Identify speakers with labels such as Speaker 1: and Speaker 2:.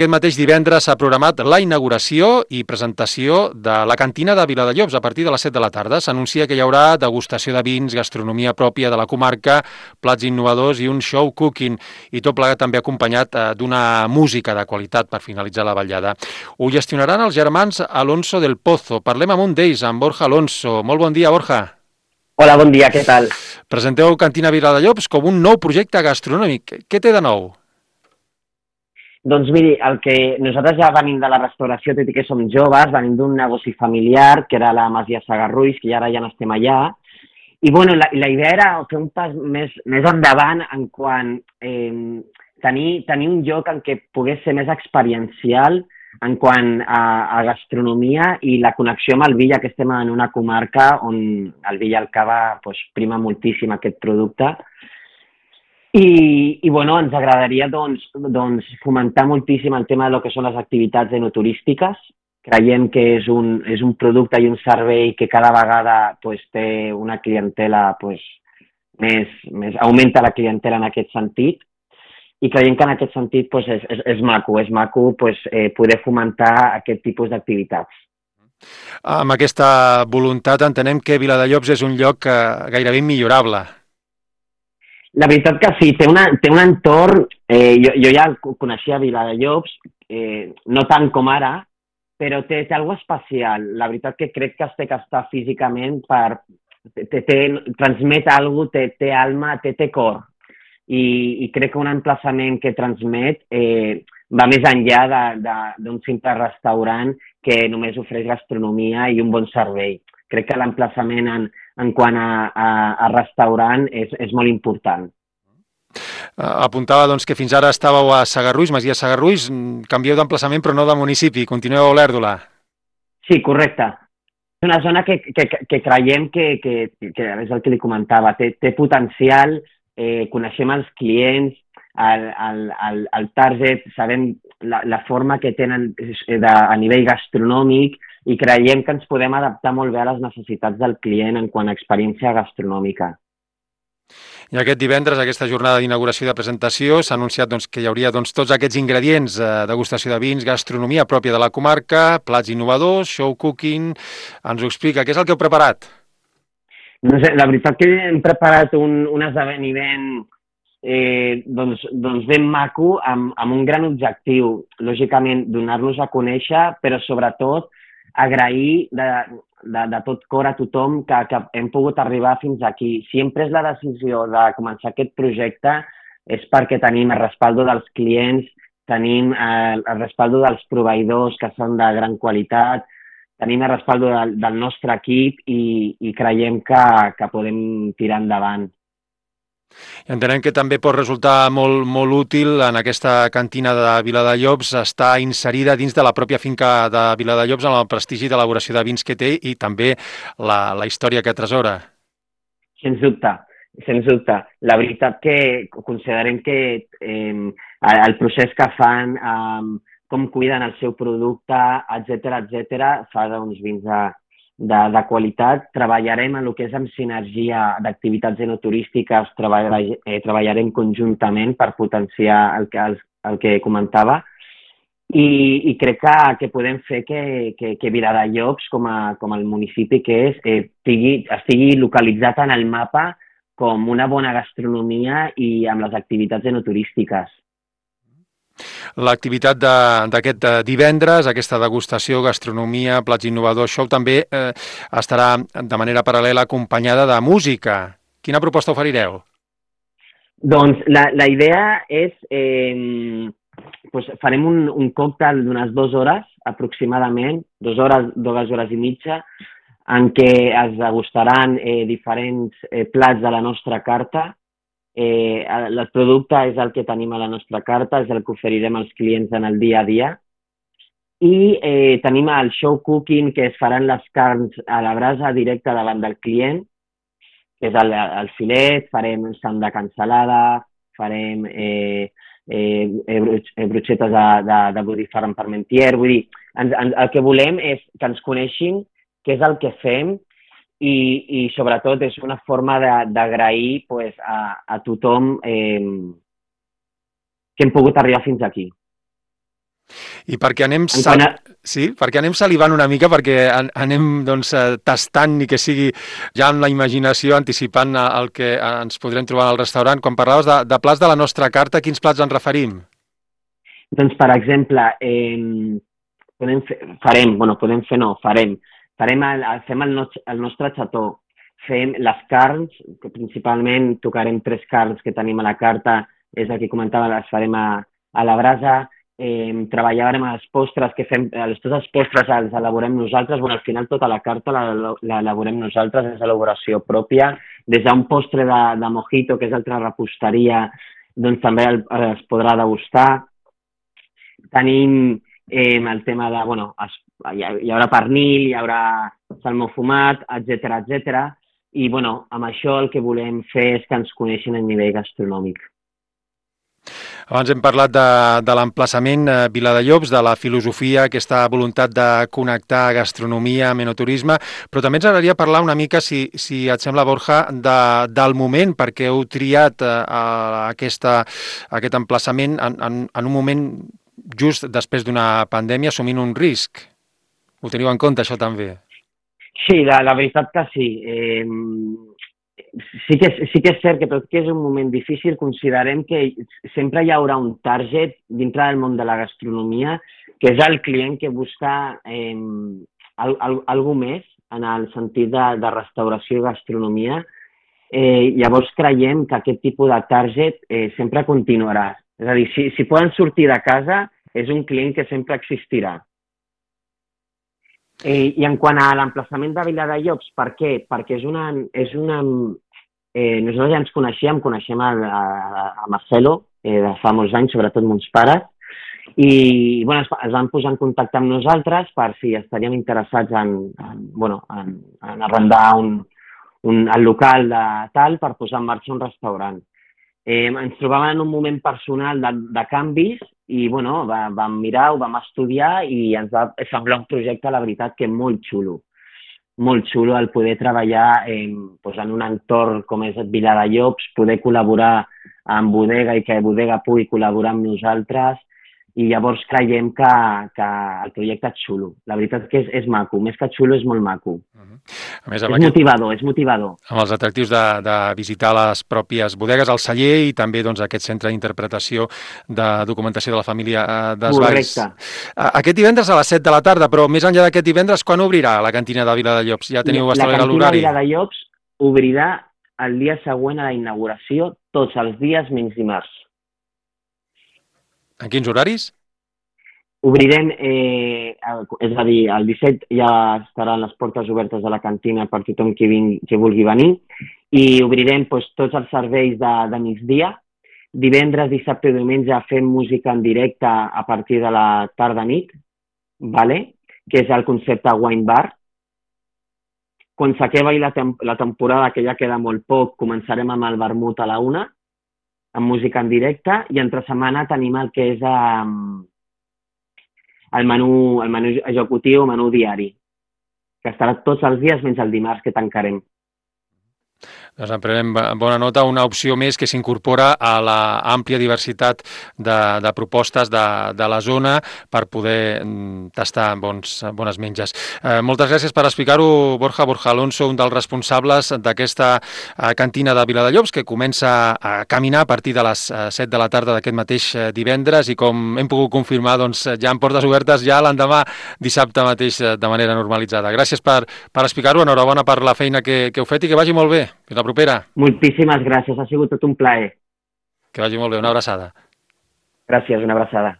Speaker 1: Aquest mateix divendres s'ha programat la inauguració i presentació de la cantina de Viladellobs a partir de les 7 de la tarda. S'anuncia que hi haurà degustació de vins, gastronomia pròpia de la comarca, plats innovadors i un show cooking, i tot plegat també acompanyat d'una música de qualitat per finalitzar la vetllada. Ho gestionaran els germans Alonso del Pozo. Parlem amb un d'ells, amb Borja Alonso. Molt bon dia, Borja.
Speaker 2: Hola, bon dia, què tal?
Speaker 1: Presenteu Cantina Viladellobs com un nou projecte gastronòmic. Què té de nou?
Speaker 2: Doncs miri, el que nosaltres ja venim de la restauració, tot i que som joves, venim d'un negoci familiar, que era la Masia Sagarruix, que ara ja no estem allà, i bueno, la idea era fer un pas més endavant en quant tenir un lloc en què pogués ser més experiencial en quant a gastronomia i la connexió amb el vi, ja que estem en una comarca on el vi i el cava prima moltíssim aquest producte. I bueno, ens agradaria doncs, fomentar moltíssim el tema de lo que són les activitats enoturístiques. Creiem que és un producte i un servei que cada vegada té una clientela més augmenta la clientela en aquest sentit, i creiem que en aquest sentit és maco poder fomentar aquest tipus d'activitats.
Speaker 1: Amb aquesta voluntat entenem que Viladellobs és un lloc gairebé immillorable.
Speaker 2: La veritat que sí, té un entorn, jo ja coneixia Viladellobs, no tant com ara, però té alguna cosa especial. La veritat que crec que es té que estar físicament transmet alguna cosa, té alma, té cor. I crec que un emplaçament que transmet va més enllà d'un simple restaurant que només ofereix gastronomia i un bon servei. Crec que l'emplaçament en quant a restaurant és molt important.
Speaker 1: Apuntava doncs, que fins ara estàveu a Sagarruix, Masia Sagarruix, canvieu d'emplaçament però no de municipi, continueu a Olèrdola.
Speaker 2: Sí, correcte. És una zona que creiem que és el que li comentava, té potencial, coneixem els clients, el target, sabem la forma que tenen a nivell gastronòmic, i creiem que ens podem adaptar molt bé a les necessitats del client en quant a experiència gastronòmica.
Speaker 1: I aquest divendres, aquesta jornada d'inauguració i de presentació, s'ha anunciat que hi hauria tots aquests ingredients, degustació de vins, gastronomia pròpia de la comarca, plats innovadors, show cooking. Ens ho explica, què és el que heu preparat?
Speaker 2: No sé, la veritat que hem preparat un esdeveniment ben maco, amb un gran objectiu, lògicament donar-nos a conèixer, però sobretot agrair de tot cor a tothom que hem pogut arribar fins aquí. Si hem pres la decisió de començar aquest projecte és perquè tenim el respaldo dels clients, tenim el respaldo dels proveïdors que són de gran qualitat, tenim el respaldo del nostre equip i creiem que podem tirar endavant.
Speaker 1: Entenem que també pot resultar molt útil en aquesta cantina de Viladellobs estar inserida dins de la pròpia finca de Viladellobs amb el prestigi d'elaboració de vins que té i també la història que atresora.
Speaker 2: Sens dubte, sens dubte. La veritat que considerem que el procés que fan, com cuiden el seu producte, etc., fa uns vins de qualitat. Treballarem en el que és amb sinergia d'activitats enoturístiques, treballarem conjuntament per potenciar el que comentava, i crec que podem fer que Viladellobs, com el municipi que és, estigui localitzat en el mapa com una bona gastronomia i amb les activitats enoturístiques.
Speaker 1: L'activitat d'aquest divendres, aquesta degustació, gastronomia, plats innovadors, show, també estarà de manera paral·lela acompanyada de música. Quina proposta oferireu?
Speaker 2: Doncs la idea és... farem un còctel d'unes 2 hores, aproximadament, 2 hores i mitja, en què es degustaran diferents plats de la nostra carta. El producte és el que tenim a la nostra carta, és el que oferirem als clients en el dia a dia. I tenim el show cooking, que es faran les carns a la brasa directe davant del client, que és el filet, farem sang de cansalada, farem bruixetes de botifarra amb parmentier. Vull dir, el que volem és que ens coneixin, què és el que fem, i sobretot és una forma d'agrair a tothom que hem pogut arribar fins aquí.
Speaker 1: I perquè anem,
Speaker 2: Sí,
Speaker 1: perquè anem salivant una mica, perquè anem doncs, tastant i que sigui ja amb la imaginació anticipant el que ens podrem trobar al restaurant. Quan parlaves de plats de la nostra carta, quins plats ens referim?
Speaker 2: doncs, per exemple, fem el nostre xató, fem les carns, que principalment tocarem 3 carns que tenim a la carta, és el que comentava, les farem a la brasa. Treballarem a les postres, tots els postres els elaborem nosaltres. Al final tota la carta l'elaborem nosaltres, és elaboració pròpia. Des d'un postre de mojito, que és altra reposteria, doncs també es podrà degustar. Tenim el tema de, hi haurà pernil, hi haurà salmó fumat, etc. I, amb això el que volem fer és que ens coneixin a nivell gastronòmic.
Speaker 1: Abans hem parlat de l'emplaçament Viladellobs, de la filosofia, aquesta voluntat de connectar gastronomia amb enoturisme, però també ens agradaria parlar una mica, si et sembla, Borja, del moment, perquè heu triat aquest emplaçament en un moment just després d'una pandèmia, assumint un risc. Ho teniu en compte, això també?
Speaker 2: Sí, la veritat que sí. Sí que és cert que tot que és un moment difícil, considerem que sempre hi haurà un target dintre del món de la gastronomia, que és el client que busca alguna més en el sentit de restauració i gastronomia. Llavors creiem que aquest tipus de target sempre continuarà. És a dir, si poden sortir de casa, és un client que sempre existirà. I en quant a l'emplaçament de Viladellobs, per què? Perquè nosaltres ja ens coneixem a Marcelo de fa molts anys, sobretot mons pares, i es van posar en contacte amb nosaltres per si estaríem interessats en arrendar el local per posar en marxa un restaurant. Ens trobàvem en un moment personal de canvis i vam mirar, ho vam estudiar i ens va semblar un projecte, la veritat, que molt xulo. Molt xulo el poder treballar en un entorn com és Viladellobs, poder col·laborar amb Bodega i que Bodega pugui col·laborar amb nosaltres, i llavors creiem que el projecte és xulo. La veritat que és maco, més que xulo és molt maco.
Speaker 1: A més,
Speaker 2: és motivador.
Speaker 1: Amb els atractius de visitar les pròpies bodegues, el celler i també aquest centre d'interpretació de documentació de la família Desvalls.
Speaker 2: Correcte.
Speaker 1: Aquest divendres a les 7 de la tarda, però més enllà d'aquest divendres, quan obrirà la cantina de Viladellobs? Ja teniu establert l'horari?
Speaker 2: La cantina de Viladellobs obrirà el dia següent a la inauguració, tots els dies menys dimarts.
Speaker 1: En quins horaris?
Speaker 2: Obrirem, és a dir, el 17 ja estaran les portes obertes de la cantina per tothom que vulgui venir, i obrirem tots els serveis de migdia. Divendres, dissabte i diumenge fem música en directe a partir de la tarda-nit, que és el concepte wine bar. Quan s'acabi la temporada, que ja queda molt poc, començarem amb el vermut a la 1, amb música en directe, i entre setmana tenim el que és el menú executiu, el menú diari, que estarà tots els dies menys el dimarts, que tancarem.
Speaker 1: Doncs en prenem bona nota, una opció més que s'incorpora a l'àmplia diversitat de propostes de la zona per poder tastar bones menges. Moltes gràcies per explicar-ho, Borja Alonso, un dels responsables d'aquesta cantina de Viladellobs, que comença a caminar a partir de les 7 de la tarda d'aquest mateix divendres, i com hem pogut confirmar, doncs ja amb portes obertes ja l'endemà, dissabte mateix, de manera normalitzada. Gràcies per explicar-ho, enhorabona per la feina que heu fet i que vagi molt bé. Fins la propera.
Speaker 2: Moltíssimes gràcies, ha sigut tot un plaer.
Speaker 1: Que vagi molt bé, una abraçada.
Speaker 2: Gràcies, una abraçada.